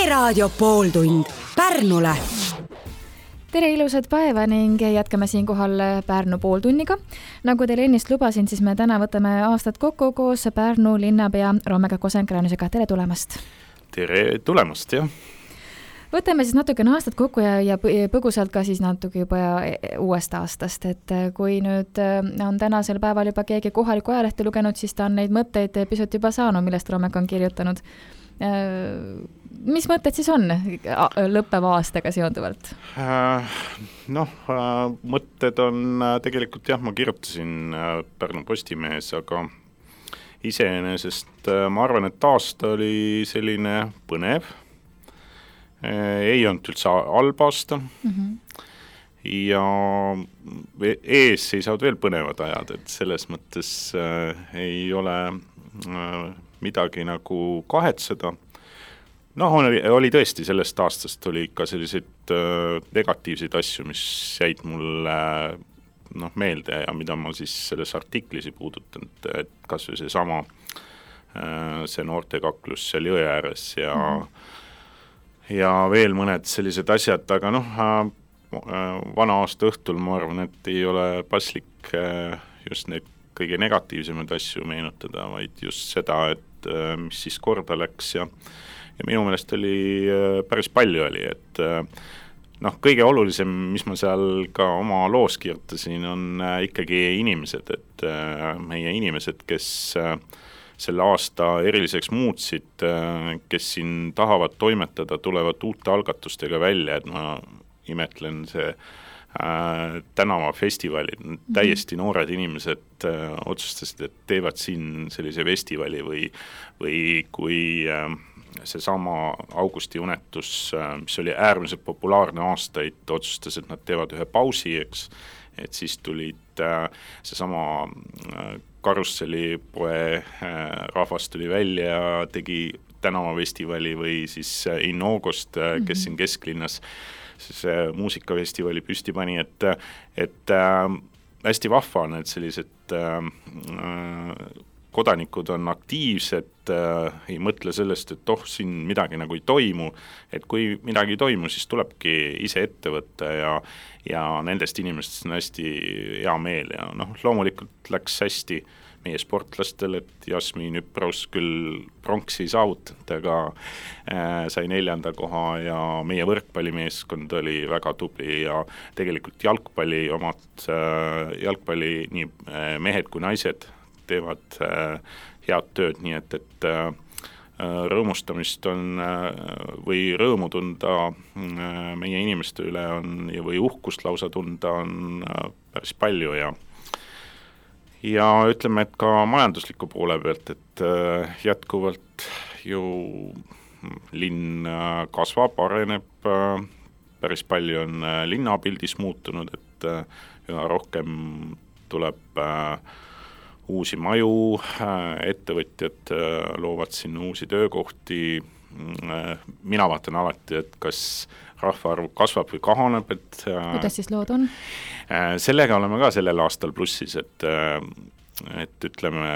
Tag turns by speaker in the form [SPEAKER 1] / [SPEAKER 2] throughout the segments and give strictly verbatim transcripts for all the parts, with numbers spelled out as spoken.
[SPEAKER 1] Raadio pooltund Pärnule.
[SPEAKER 2] Tere ilusat päeva ning jätkame siin kohal Pärnu pooltunniga. Nagu teile ennist lubasin, siis me täna võtame aastat kokku koos Pärnu linnapea Romega Kosenkräänisega. Tere tulemast!
[SPEAKER 3] Tere tulemast, jah!
[SPEAKER 2] Võtame siis natuke aastat kokku ja, ja põgusalt ka siis natuke juba uuest aastast, et kui nüüd on tänasel päeval juba keegi kohaliku ajalehte lugenud, siis ta on neid mõtteid pisut juba saanud, millest Romega on kirjutanud. Mis mõtted siis on lõppeva aastaga seonduvalt?
[SPEAKER 3] Noh, mõtted on tegelikult, jah, ma kirjutasin Pärnu Postimehes, aga iseenesest ma arvan, et aasta oli selline põnev. Ei olnud üldse halb aasta mm-hmm. ja ees seisavad veel põnevad ajad, et selles mõttes äh, ei ole äh, midagi nagu kahetseda. Noh, oli, oli tõesti sellest aastast oli ikka selliseid äh, negatiivseid asju, mis jäid mulle noh, meelde ja mida ma siis selles artiklis ei puudutanud, et kas või see sama äh, see noortekaklus seal jõe ääres ja mm-hmm. ja veel mõned sellised asjad, aga noh, vana aasta õhtul ma arvan, et ei ole paslik just neid kõige negatiivsemaid asju meenutada, vaid just seda, et mis siis korda läks ja, ja minu meelest oli päris palju oli, et noh, kõige olulisem, mis ma seal ka oma loos kirjutasin, on ikkagi inimesed, et meie inimesed, kes selle aasta eriliseks muutsid, kes siin tahavad toimetada, tulevad uute algatustega välja, et ma imetlen see äh, tänavafestivalid, täiesti noored inimesed äh, otsustasid, et teevad siin sellise festivali või, või kui äh, see sama Augusti unetus, äh, mis oli äärmiselt populaarne aastaid, otsustas, et nad teevad ühe pausi, eks, et siis tulid äh, see sama äh, Karussellipoe rahvas tuli välja ja tegi tänavafestivali või siis Innogost, kes siin kesklinnas siis muusikafestivali püsti pani, et, et äh, hästi vahva on, et sellised äh, kodanikud on aktiivsed, äh, ei mõtle sellest, et oh, siin midagi nagu ei toimu, et kui midagi ei toimu, siis tulebki ise ette võtta ja, ja nendest inimestest on hästi hea meel ja noh, loomulikult läks hästi meie sportlastel, et Jasmin Üpraus küll pronksi ei saavutanud, aga äh, sai neljanda koha ja meie võrkpallimeeskond oli väga tubli ja tegelikult jalgpalli omad, äh, jalgpalli nii äh, mehed kui naised teevad äh, head tööd, nii et, et äh, rõõmustamist on äh, või rõõmu tunda äh, meie inimeste üle on või uhkust lausa tunda on äh, päris palju ja ja ütleme, et ka majandusliku poole pealt, et äh, jätkuvalt ju linn äh, kasvab, areneb, äh, päris palju on äh, linnapildis muutunud, et äh, üha rohkem tuleb äh, uusi maju, äh, ettevõtjad äh, loovad siin uusi töökohti, äh, mina vaatan alati, et kas rahvaarv kasvab või kahaneb, et
[SPEAKER 2] kuidas siis lood on?
[SPEAKER 3] Sellega oleme ka sellel aastal plussis, et, et ütleme,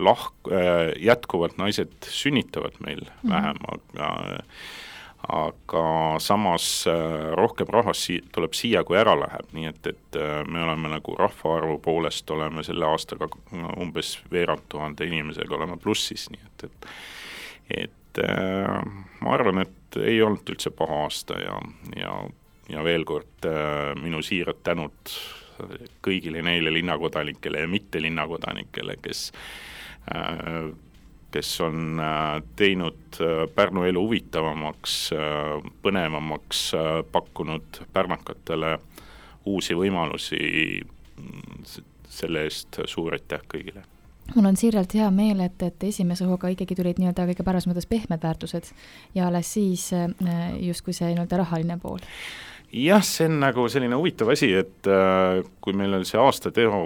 [SPEAKER 3] lahk, jätkuvalt naised sünnitavad meil mm-hmm. vähem, aga, aga samas rohkem rahvas tuleb siia, kui ära läheb, nii et, et me oleme nagu rahvaarvu poolest oleme selle aastaga umbes veerand tuhande inimesega oleme plussis, nii et, et, et ma arvan, et ei olnud üldse paha aasta ja, ja, ja veel kord äh, minu siirad tänud kõigile neile linnakodanikele ja mitte linnakodanikele, kes, äh, kes on äh, teinud äh, Pärnu elu huvitavamaks, äh, põnevamaks, äh, pakkunud pärnakatele uusi võimalusi, selle eest suur aitäh kõigile.
[SPEAKER 2] Mul on siiralt hea meel, et, et esimese hooga ikkagi tulid nii-öelda kõige paras mõttes pehmed väärtused ja alles siis just kui see nii-öelda rahaline pool.
[SPEAKER 3] Jah, see on nagu selline huvitav asi, et äh, kui meil oli see aasta teo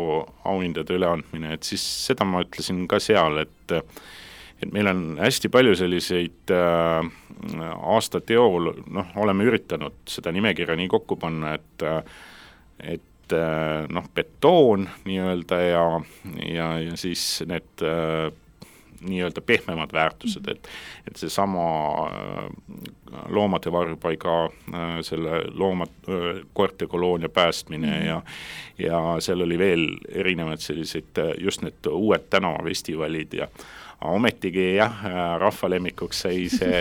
[SPEAKER 3] auhindade üleandmine, et siis seda ma ütlesin ka seal, et, et meil on hästi palju selliseid äh, aasta teol, noh, oleme üritanud seda nimekirja nii kokku panna, et, et noh, betoon nii-öelda ja, ja, ja siis need nii-öelda pehmemad väärtused, et, et see sama loomade varjupaiga, selle loomad, koertekoloonia päästmine mm-hmm. ja, ja seal oli veel erinevad sellised just need uued tänavafestivalid ja ometigi jah, rahvalemmikuks sai see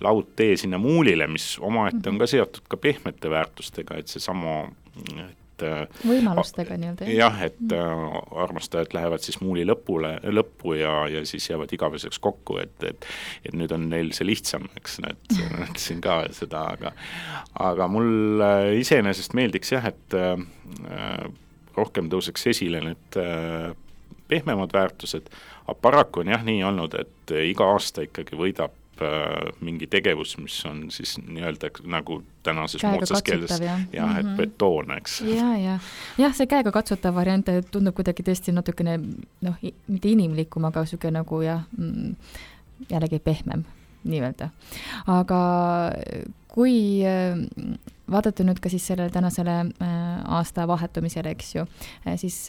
[SPEAKER 3] laudtee sinna Muulile, mis omaette on ka seotud ka pehmete väärtustega, et see sama
[SPEAKER 2] võimalustega nii-öelda.
[SPEAKER 3] Jah, et armastajad lähevad siis Muuli lõpule, lõppu ja, ja siis jäävad igaveseks kokku, et, et, et nüüd on neil see lihtsam, eks need, mõtlesin ka seda, aga, aga mul iseenesest meeldiks jah, et äh, rohkem tõuseks esile need äh, pehmemad väärtused, aga paraku on jah nii olnud, et iga aasta ikkagi võidab mingi tegevus, mis on siis nii-öelda nagu tänases moodsas keeles
[SPEAKER 2] ja,
[SPEAKER 3] jah, et betoon, eks.
[SPEAKER 2] Ja, ja. jah, see käega katsutav variant tundub kuidagi tõesti natukene, noh, mitte inimlikum, aga süge nagu jah, jällegi pehmem nii-öelda. Aga kui vaadata nüüd ka siis sellele tänasele aasta vahetumisele, eks ju, siis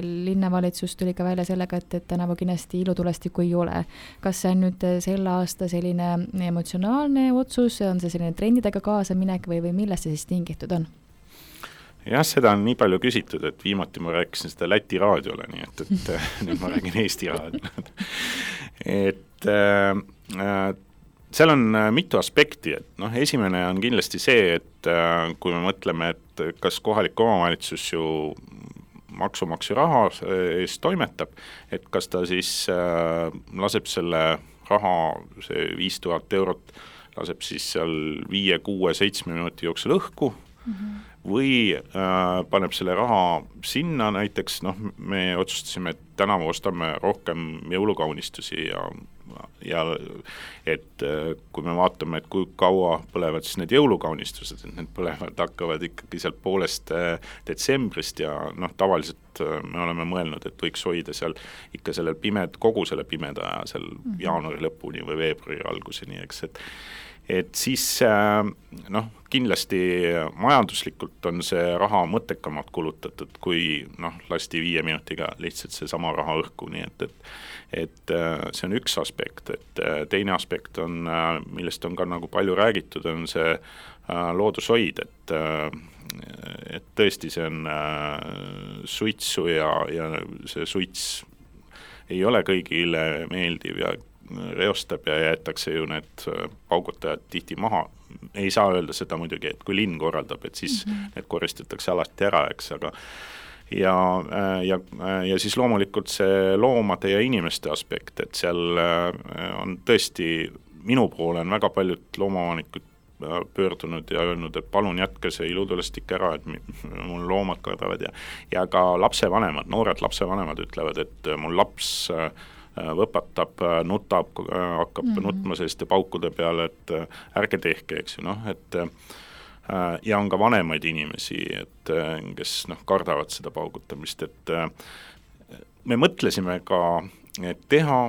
[SPEAKER 2] linnavalitsus tuli ka välja sellega, et, et tänavu kindlasti ilutulestikku ei ole. Kas see on nüüd selle aasta selline emotsionaalne otsus, on see selline trendidega kaasaminek või, või millest see siis tingitud on?
[SPEAKER 3] Jah, seda on nii palju küsitud, et viimati ma rääkisin seda Läti raadiole, nii et, et nüüd ma räägin Eesti raadiole. et äh, seal on mitu aspekti, et noh, esimene on kindlasti see, et äh, kui me mõtleme, et kas kohalik omavalitsus ju maksumaksja raha eest toimetab, et kas ta siis äh, laseb selle raha, see viis tuhat eurot, laseb siis seal viie, kuue, seitsme minuti jooksul õhku mm-hmm. või äh, paneb selle raha sinna, näiteks noh, me otsustasime, et tänavu ostame rohkem jõulukaunistusi ja ja et kui me vaatame, et kui kaua põlevad siis need jõulukaunistused, et need põlevad hakkavad ikkagi sealt poolest detsembrist ja noh, tavaliselt me oleme mõelnud, et võiks hoida seal ikka sellel pimed, kogu selle pimeda aja seal mm-hmm. jaanuari lõpuni või veebruari alguseni, eks, et et siis noh, kindlasti majanduslikult on see raha mõttekamalt kulutatud, kui noh, lasti viie minutiga lihtsalt see sama raha õhku, nii et, et et see on üks aspekt, et teine aspekt on, millest on ka nagu palju räägitud, on see loodushoid, et et tõesti see on suitsu ja, ja see suits ei ole kõigile meeldiv ja reostab ja jäetakse ju need paugutajad tihti maha. Ei saa öelda seda muidugi, et kui linn korraldab, et siis mm-hmm. need koristatakse alati ära, eks, aga ja, ja, ja siis loomulikult see loomade ja inimeste aspekt, et seal on tõesti, minu poole on väga paljud loomavanikud pöördunud ja öelnud, et palun jätke see ilutulestik ära, et mul loomad kardavad ja, ja ka lapsevanemad, noored lapsevanemad ütlevad, et mul laps võpatab, nutab, hakkab mm-hmm. nutma selliste paukude peale, et ärge tehke, eks ju, noh, et ja on ka vanemaid inimesi, et kes noh, kardavad seda paugutamist, et me mõtlesime ka, et teha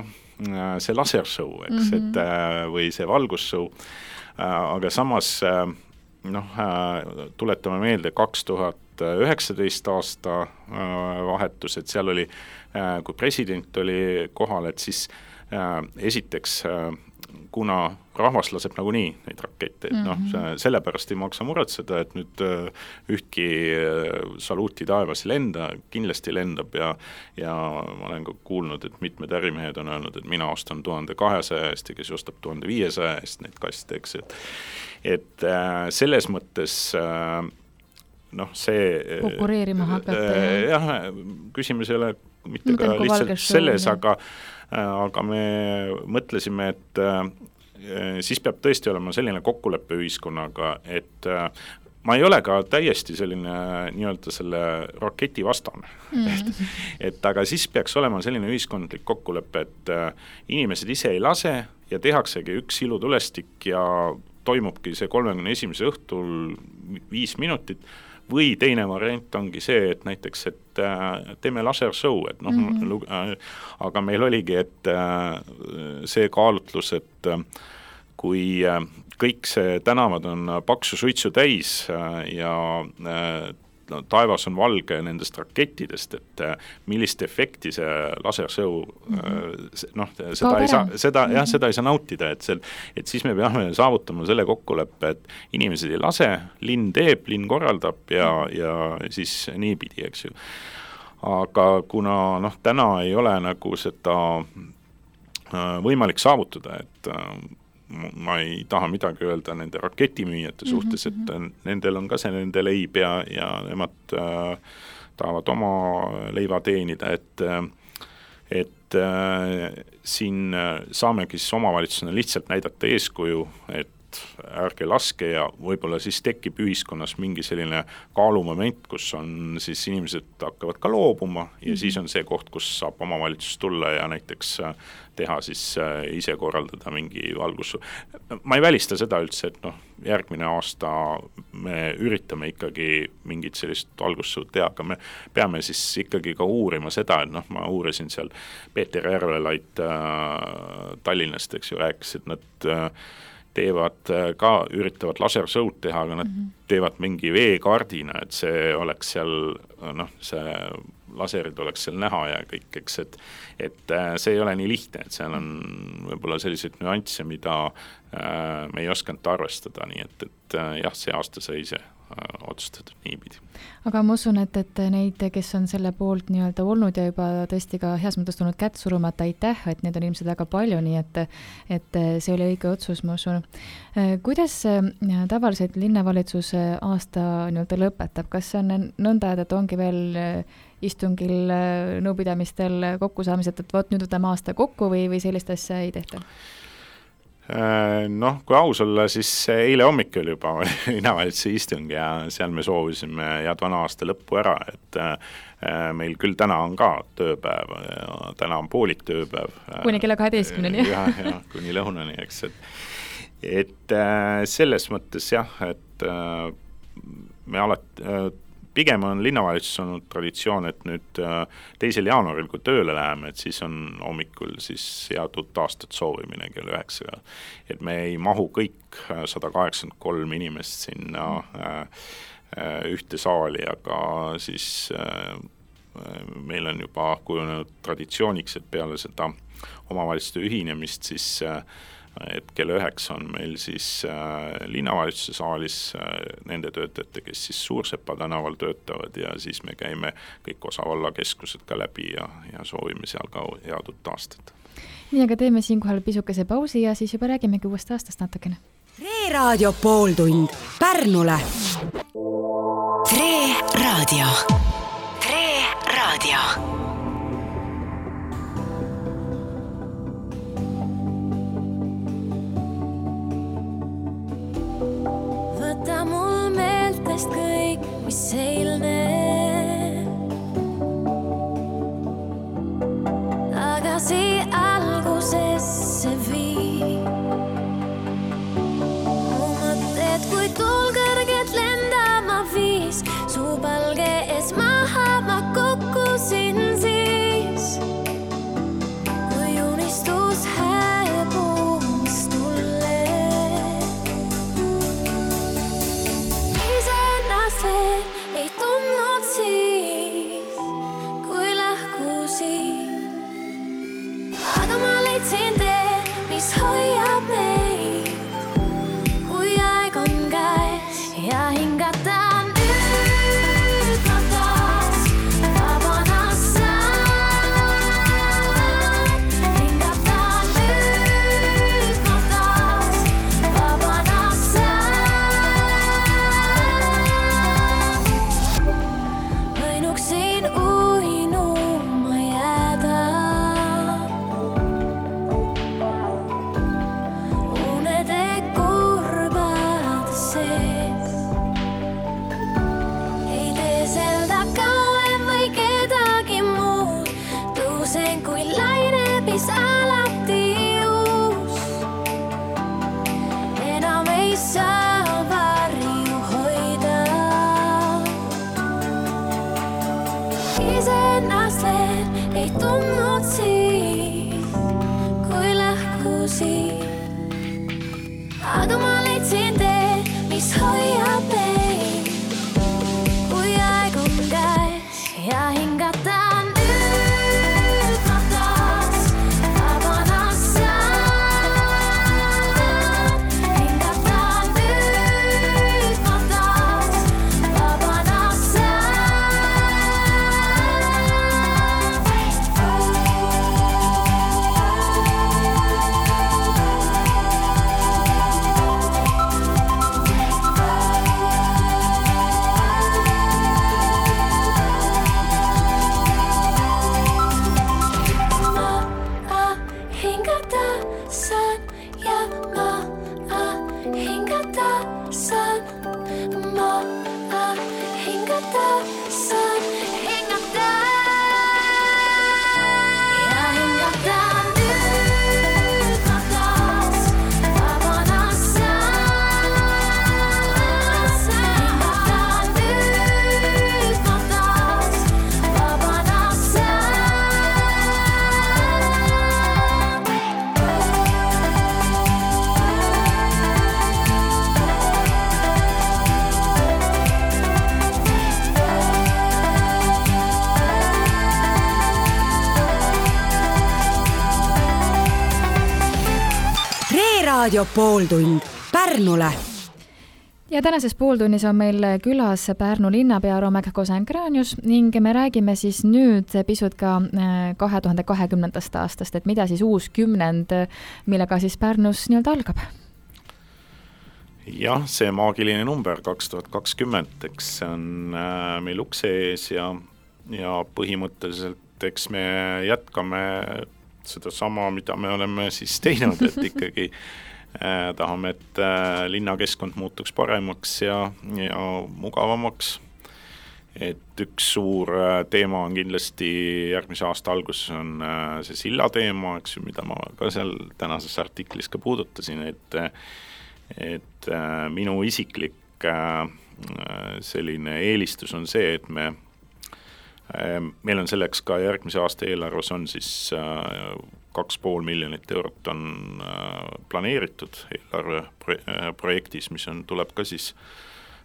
[SPEAKER 3] see lasershow, eks, mm-hmm. et või see valgusshow, aga samas noh, tuletame meelde kaks tuhat üheksateist aasta vahetus, et seal oli, kui president oli kohal, et siis esiteks kuna rahvas laseb nagunii neid rakette, et noh, sellepärast ei maksa muretseda, et nüüd ühtki saluuti taevas ei lenda, kindlasti lendab ja, ja ma olen ka kuulnud, et mitmed ärimehed on öelnud, et mina ostan tuhande kahesaja eest ja kes ostab tuhande viiesaja eest neid kaste, eks, et, et selles mõttes noh, see
[SPEAKER 2] konkureerima hakata.
[SPEAKER 3] Jah, küsimus ei ole mitte ka lihtsalt selles, aga aga me mõtlesime, et siis peab tõesti olema selline kokkuleppe ühiskonnaga, et ma ei ole ka täiesti selline nii-öelda selle raketi vastane. Mm. et, et aga siis peaks olema selline ühiskondlik kokkulepe, et inimesed ise ei lase ja tehaksegi üks ilutulestik ja toimubki see kolmekümne esimese õhtul viis minutit, või teine variant ongi see, et näiteks, et teeme lasershow, et noh, mm-hmm. aga meil oligi, et see kaalutlus, et kui kõik see tänavad on paksu suitsu täis ja taevas on valge nendest rakettidest, et millist efekti see lasersõu mm-hmm. noh, seda ei saa, seda, mm-hmm. jah, seda ei saa nautida, et, see, et siis me peame saavutama selle kokkuleppe, et inimesed ei lase, linn teeb, linn korraldab ja, ja siis niipidi, eks ju. Aga kuna noh, täna ei ole nagu seda võimalik saavutada, et ma ei taha midagi öelda nende raketimüüjate suhtes, et nendel on ka see nende leib ja, ja nemad äh, tahavad oma leiva teenida, et, et äh, siin saamegi siis omavalitsusena lihtsalt näidata eeskuju, et ärge laske ja võib-olla siis tekib ühiskonnas mingi selline kaalumoment, kus on siis inimesed hakkavad ka loobuma ja mm-hmm. siis on see koht, kus saab omavalitsus tulla ja näiteks teha siis ise korraldada mingi valgus. Ma ei välista seda üldse, et noh, järgmine aasta me üritame ikkagi mingit sellist valgussõud teha, aga me peame siis ikkagi ka uurima seda, et noh, ma uurisin seal Peeter Järvelait äh, Tallinnast, eks ju, rääkis, et nad äh, teevad ka, üritavad lasersõud teha, aga nad mm-hmm. teevad mingi veekardina, et see oleks seal, noh, see laserid oleks seal näha ja kõik, eks, et, et see ei ole nii lihtne, et seal on võib-olla selliseid nüansse, mida äh, me ei oskanud arvestada, nii et, et jah, see aasta sai see otsustatud niipidi.
[SPEAKER 2] Aga ma usun, et, et neid, kes on selle poolt nii-öelda olnud ja juba tõesti ka heas mõttes tulnud kätt surumata, aitäh, et neid on ilmselt väga palju, nii et, et see oli õige otsus, ma usun. Kuidas tavaliselt linnavalitsus aasta nii-öelda lõpetab? Kas see on nõnda, et ongi veel istungil, nõupidamistel kokkusaamised, et võt, nüüd võtame aasta kokku või, või sellist asja ei tehta?
[SPEAKER 3] Noh, kui aus olla, siis eile hommikul juba linnavalitsuse istung ja seal me soovisime head vana aasta lõppu ära, et meil küll täna on ka tööpäev, täna on poolik tööpäev.
[SPEAKER 2] Kuni kella kaheteistkümneni.
[SPEAKER 3] Ja, ja, kuni lõunani, eks. Et, et selles mõttes jah, et me alati, pigem on linnavalitsus olnud traditsioon, et nüüd teisel jaanuaril, kui tööle läheme, et siis on hommikul siis head uut aastat soovimine kell üheksa. Et me ei mahu kõik sada kaheksakümmend kolm inimest sinna ühte saali, aga siis meil on juba kujunenud traditsiooniks, et peale seda omavalitsuste ühinemist siis et kell üheksa on meil siis äh, linnavalitsuse saalis äh, nende töötajate, kes siis Suursepa tänaval töötavad ja siis me käime kõik osavalla keskused ka läbi ja, ja soovime seal ka head uut aastat.
[SPEAKER 2] Nii, aga teeme siinkohal pisukese pausi ja siis juba räägimegi uuest aastast natukene.
[SPEAKER 1] Tre-raadio pooltund Pärnule.
[SPEAKER 4] Tre-raadio. Tre-raadio.
[SPEAKER 5] Võta mul meeltest kõik, mis eilne. Tagasi algusesse vii. Mu mõtted kui tulgõrged lendama viis. Su palge ees maha ma kukkusin siis. Kui unistus hääbumis tulle. Ei tundnud siis, kui lahkusin. Aga ma leidsin tee, mis hoiab meid. Kui aeg on käes ja hingata nüüd ma taas vabana saan. Hingata nüüd ma taas vabana saan. Võinuksin uinuma jääda. Unede kurbad sees. Ei teeselda kauem või kedagi muud. Tõusen kui laine, mis alati uus. Enam ei saa varju hoida. Iseennast veel ei tundnud siis, kui lahkusin. Aga ma leidsin tee, mis hoiab meid. Kui aeg saan ma hingata, saan hingata ja hingata nüüd ma taas vabana saan, hingata nüüd ma taas vabana
[SPEAKER 1] Raadio pooltund Pärnule.
[SPEAKER 2] Ja tänases pooltunnis on meil külas Pärnu linnapea Romek Kosenkranius ning me räägime siis nüüd pisut ka kahe tuhande kahekümnendast aastast, et mida siis uus kümnend, millega siis Pärnus nii-öelda algab?
[SPEAKER 3] Jah, see maagiline number kaks tuhat kakskümmend, eks see on meil ukse ees ja, ja põhimõtteliselt eks me jätkame seda sama, mida me oleme siis teinud, et ikkagi äh, tahame, et äh, linnakeskkond muutuks paremaks ja, ja mugavamaks. Et üks suur äh, teema on kindlasti järgmise aasta alguses on äh, see silla teema, eks ju, mida ma ka seal tänases artiklis ka puudutasin, et, et äh, minu isiklik äh, selline eelistus on see, et me meil on selleks ka järgmise aasta eelarves on siis kaks pool miljonit eurot on planeeritud eelarve projektis, mis on, tuleb ka siis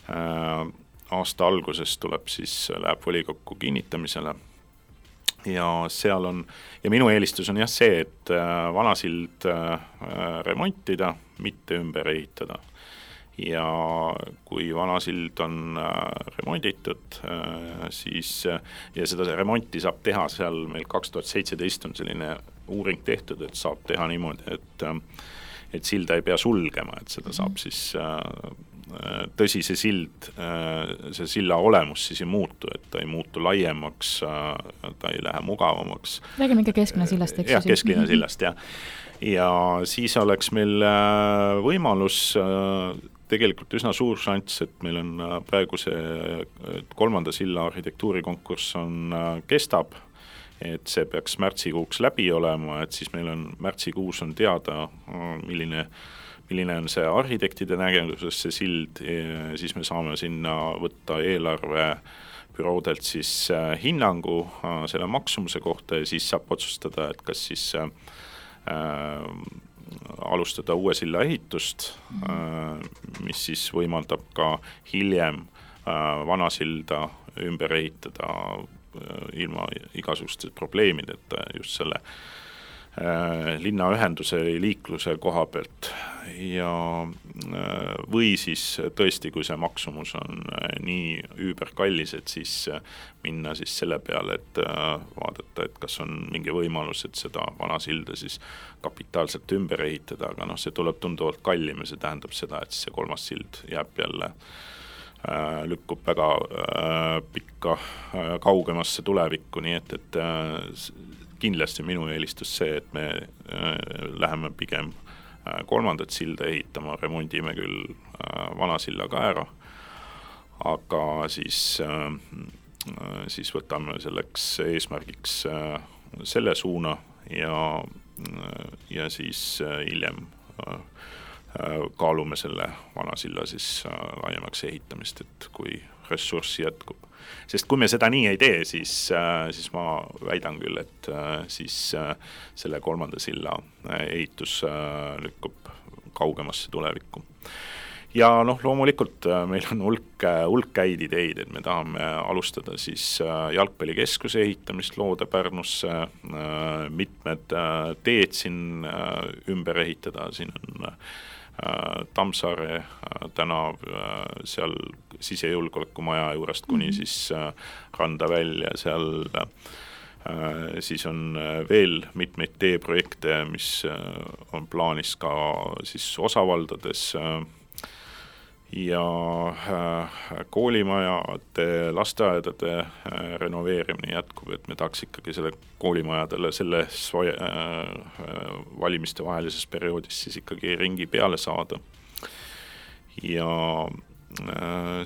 [SPEAKER 3] aasta alguses tuleb siis, läheb volikokku kinnitamisele ja seal on, ja minu eelistus on jah see, et vanasild remontida, mitte ümber ehitada. Ja kui vanasild on remonditud, siis ja seda remonti saab teha seal meil kaks tuhat seitseteist on selline uuring tehtud, et saab teha niimoodi, et, et silda ei pea sulgema, et seda saab siis tõsi see sild, see silla olemus siis ei muutu, et ta ei muutu laiemaks, ta ei lähe mugavamaks.
[SPEAKER 2] Räägime ikka keskline sillast, eks?
[SPEAKER 3] Jah, keskline sillast, jah. Ja siis oleks meil võimalus tegelikult üsna suur šanss, et meil on praegu see kolmanda silla arhitektuurikonkurss on, kestab, et see peaks märtsikuuks läbi olema, et siis meil on märtsikuus on teada, milline, milline on see arhitektide nägemuses see sild, siis me saame sinna võtta eelarve büroodelt siis hinnangu selle maksumuse kohta ja siis saab otsustada, et kas siis äh, alustada uue silla ehitust, mis siis võimaldab ka hiljem vana silda ümber ehitada ilma igasuguste probleemideta just selle linnaühenduse liikluse koha pealt ja või siis tõesti, kui see maksumus on nii üüberkallis, et siis minna siis selle peale, et vaadata, et kas on mingi võimalus, et seda vana silda siis kapitaalselt ümber ehitada, aga noh, see tuleb tunduvalt kallim ja see tähendab seda, et see kolmas sild jääb jälle lükkub väga pikka kaugemasse tulevikku, nii et, et kindlasti minu eelistus see, et me läheme pigem kolmandat silda ehitama, remondime küll vana silla ka ära, aga siis, siis võtame selleks eesmärgiks selle suuna ja, ja siis hiljem kaalume selle vana silla siis laiemaks ehitamist, et kui ressurssi jätkub. Sest kui me seda nii ei tee, siis, siis ma väidan küll, et siis selle kolmanda silla ehitus lükkub kaugemasse tulevikku. Ja noh, loomulikult meil on hulk, hulk häid ideid, et me tahame alustada siis jalgpallikeskuse ehitamist loode Pärnusse, mitmed teed siin ümber ehitada, siin on Tammsaare tänav seal sisejulgeolekumaja juurest kuni mm-hmm. siis randa välja, seal siis on veel mitmeid teeprojekte, mis on plaanis ka siis osavaldades ja koolimajade, lasteaedade renoveerimine jätkub, et me tahaks ikkagi selle koolimajadele selles valimiste vahelises perioodis siis ikkagi ringi peale saada. ja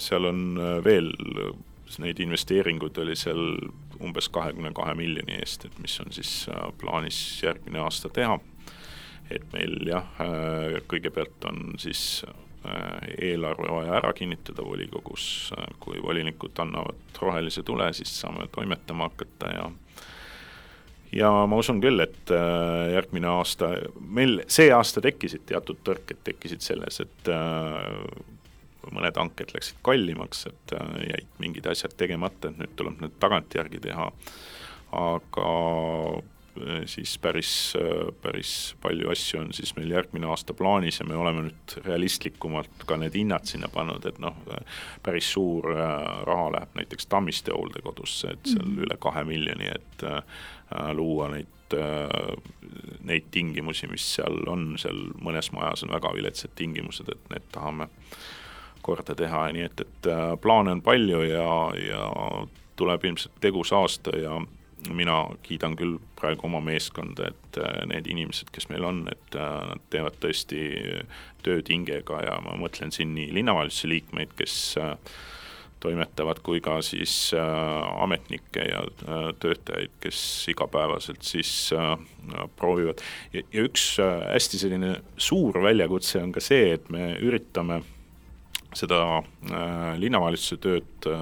[SPEAKER 3] seal on veel, neid investeeringud oli seal umbes kahekümne kahe miljoni eest, et mis on siis plaanis järgmine aasta teha. Et meil jah, kõigepealt on siis eelarve vaja ära kinnitada volikogus, kui volinikud annavad rohelise tule, siis saame toimetama hakata ja ja ma usun küll, et järgmine aasta, meil see aasta tekkisid teatud tõrked, tekkisid selles, et mõned hanked läksid kallimaks, et jäid mingid asjad tegemata, et nüüd tuleb need tagantjärgi teha, aga siis päris, päris palju asju on siis meil järgmine aasta plaanis ja me oleme nüüd realistlikumalt ka need hinnad sinna pannud, et noh, päris suur raha läheb näiteks Tammiste hooldekodusse, et seal mm-hmm. üle kahe miljoni, et luua neid, neid tingimusi, mis seal on, seal mõnes majas on väga viletsad tingimused, et need tahame korda teha, nii et, et plaane on palju ja, ja tuleb ilmselt tegus aasta ja mina kiidan küll praegu oma meeskonda, et need inimesed, kes meil on, et nad teevad tõesti tööd hingega ja ma mõtlen siin nii linnavalitsuse liikmeid, kes toimetavad, kui ka siis ametnikke ja töötajaid, kes igapäevaselt siis proovivad. Ja, ja üks hästi selline suur väljakutse on ka see, et me üritame seda linnavalitsuse tööd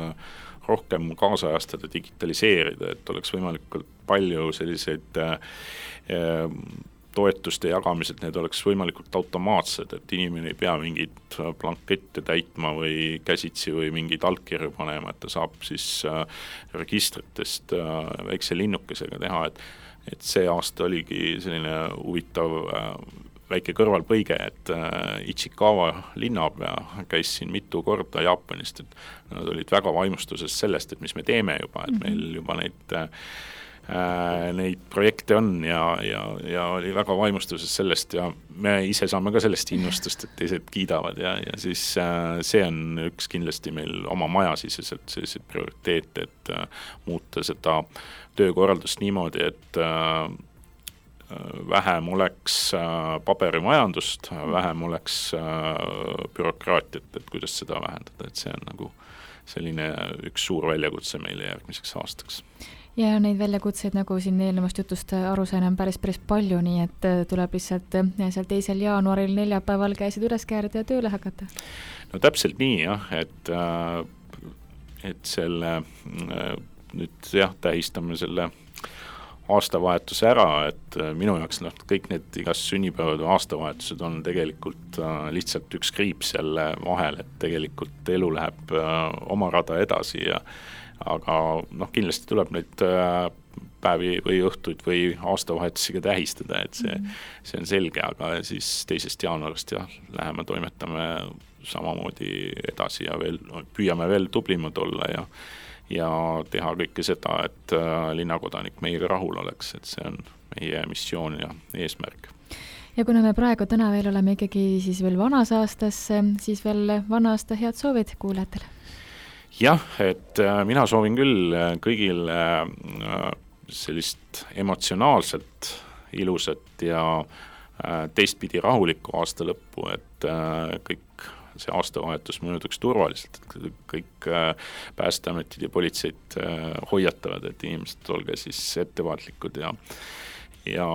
[SPEAKER 3] rohkem kaasajastada, digitaliseerida, et oleks võimalikult palju selliseid toetuste jagamised, need oleks võimalikult automaatsed, et inimene ei pea mingit blankette täitma või käsitsi või mingid allkirju panema, et ta saab siis registritest väikse linnukesega teha, et, et see aasta oligi selline huvitav väike kõrvalpõige, et Ichikawa linnapea käis siin mitu korda Jaapanist, et nad olid väga vaimustuses sellest, et mis me teeme juba, et meil juba neid, äh, neid projekte on ja, ja, ja oli väga vaimustuses sellest ja me ise saame ka sellest innustust, et teised kiidavad ja, ja siis äh, see on üks kindlasti meil oma majasiseselt sellised prioriteet, et äh, muuta seda töökorraldust niimoodi, et äh, vähem oleks paberimajandust, vähem oleks bürokraatiat, et kuidas seda vähendada, et see on nagu selline üks suur väljakutse meile järgmiseks aastaks.
[SPEAKER 2] Ja neid väljakutseid, nagu siin eelnevast jutust aru sain, on päris, päris palju, nii et tuleb lihtsalt seal teisel jaanuaril neljapäeval käisid üles käärida ja tööle hakata.
[SPEAKER 3] No täpselt nii jah, et, et selle nüüd jah, tähistame selle aastavahetuse ära, et minu jaoks noh, kõik need igas sünnipäevad või aastavahetused on tegelikult äh, lihtsalt üks kriips jälle vahel, et tegelikult elu läheb äh, oma rada edasi ja aga noh, kindlasti tuleb neid äh, päevi või õhtuid või aastavahetusega tähistada, et see, see on selge, aga siis teisest jaanuarist jah, läheme toimetame samamoodi edasi ja veel, püüame veel tublimad olla ja ja teha kõike seda, et linnakodanik meiega rahul oleks, et see on meie missioon ja eesmärk.
[SPEAKER 2] Ja kuna me praegu täna veel oleme ikkagi siis veel vanas aastas, siis veel vana aasta head soovid kuulajatele?
[SPEAKER 3] Jah, et mina soovin küll kõigil sellist emotsionaalselt ilusat ja teistpidi rahulikku aasta lõppu, et kõik see aastavahetus mõjutuks turvaliselt, et kõik päästeametid ja politseid hoiatavad, et inimesed olge siis ettevaatlikud ja, ja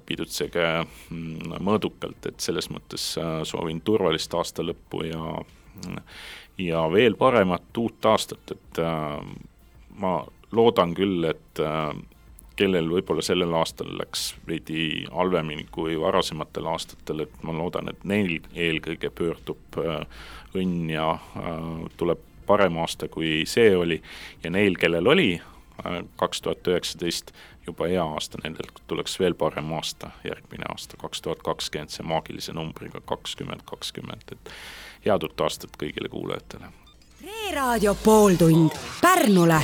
[SPEAKER 3] pidutsege mõõdukalt, et selles mõttes soovin turvalist aasta lõppu ja, ja veel paremat uut aastat, et ma loodan küll, et kellel võib-olla sellel aastal läks veidi halvemini kui varasematel aastatel, et ma loodan, et neil eelkõige pöördub õnn ja tuleb parem aasta, kui see oli ja neil, kellel oli kaks tuhat üheksateist juba hea aasta, nendel tuleks veel parem aasta, järgmine aasta, kaks tuhat kakskümmend, see maagilise numbriga kakskümmend kakskümmend, et head uut aastat kõigile kuulajatele.
[SPEAKER 1] Reeraadio pooltund Pärnule.